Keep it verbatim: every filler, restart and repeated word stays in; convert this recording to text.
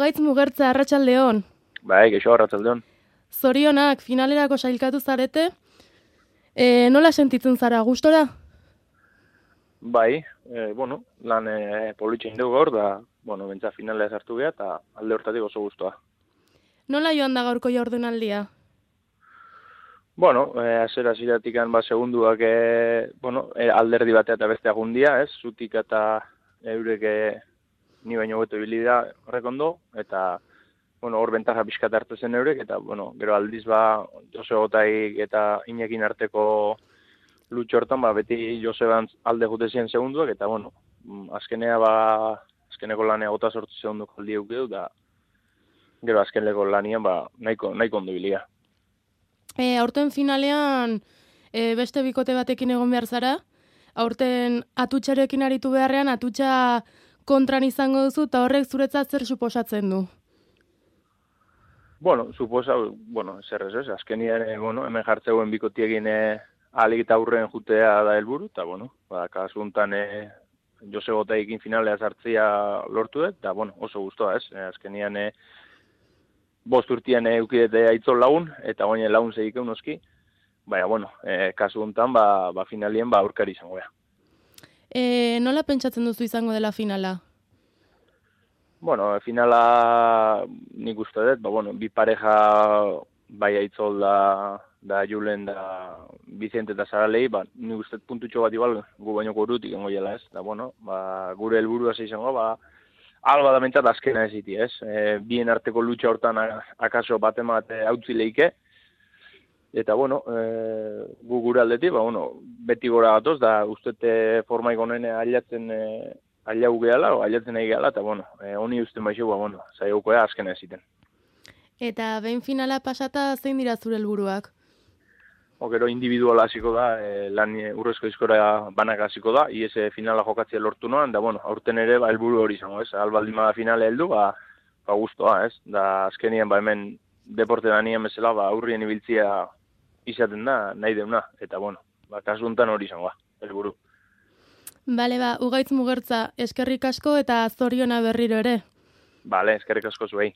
Gaitz Mugertza, arratsaldeon. Bai, geixo arratsaldeon. Zorionak, finalerako sailkatu zarete. E, nola sentitzen zara, gustora? Bai, e, bueno, lan e, politxein dugu gaur, da, bueno, bentsa finalea sartu geha, eta alde hortatik oso gustoa. Nola joan da gaurko jaurdunaldia? Bueno, e, azera ziratikan, ba, segunduak, e, bueno, e, alderdi batea eta beste agundia, ez, zutik eta eurek e, ni baino beto ibilida horrek ondo, eta, bueno, hor bentaja pixkat hartu zen eurek, eta, bueno, gero aldiz, ba, Jose Gotaik eta Iñakin arteko lutxo hortan, ba, beti Joseba alde jute ziren segunduak, eta, bueno, azkenea, ba, azkeneko lanea gota sortu segunduko aldi eukideu, da, gero azkeneko lanian, ba, nahiko, nahiko ondo bilia. E, aurten finalean e, beste bikote batekin egon behar zara. Aurten atutxarekin aritu beharrean, atutxa kontran izango duzu, eta horrek zuretzat zer suposatzen du? Bueno, suposa, bueno, zer ez ez, azkenian, e, bueno, hemen jartzeuen bikotiekin e, ahalik eta aurren jutea da helburu, eta, bueno, ba, kasu honetan e, Jose Gotaikin finalea sartzia lortu dut, eta, bueno, oso gustoa ez, e, azkenian e, bost urtean e, eukidete aitzol lagun, eta goine lagun zegik eunoski, baina, bueno, e, kasu honetan, ba, ba finalien, ba, aurkari izango beha. E, nola pentsatzen duzu izango dela finala? Bueno, finala nik uste dut, ba, bueno, bi pareja bai aitzol da, da Julen da Vicente eta Saralei, ba, nik uste dut puntutxo bat igual gu baino gorutik engoiela ez, da, bueno, ba, gure helburua izango, ba, alba da mentzat azkena ez iti, ez, e, bien arteko lutxa hortan akaso bate mate hautzi leike, eta, bueno, e, gu gure aldetik, ba, bueno, beti gora gatoz, da, ustete formaik honen ailatzen e, ailau gehala, o ailatzen nahi gehala, eta, bueno, e, honi usten baixo, ba, bueno, zaiaukoa azkena ez iten. Eta behin finala pasata zein dira zure helburuak? O, gero individuala hasiko da, e, lan e, urrezko izkora banak hasiko da, ies e, finala jokatzea lortu noan, da, bueno, aurten ere, ba, helburu hori izango, ez, albaldin bada finale heldu, ba, ba, guztoa, ez, da, azkenien, ba, hemen, deporte da nien bezala, ba, aurrien ibiltzia izaten da, nahi deuna, eta, bueno, ba, kasu honetan hori izango, helburu. Bale, ba, Ugaitz Mugertza, eskerrik asko eta zoriona berriro ere. Bale, eskerrik asko zuei.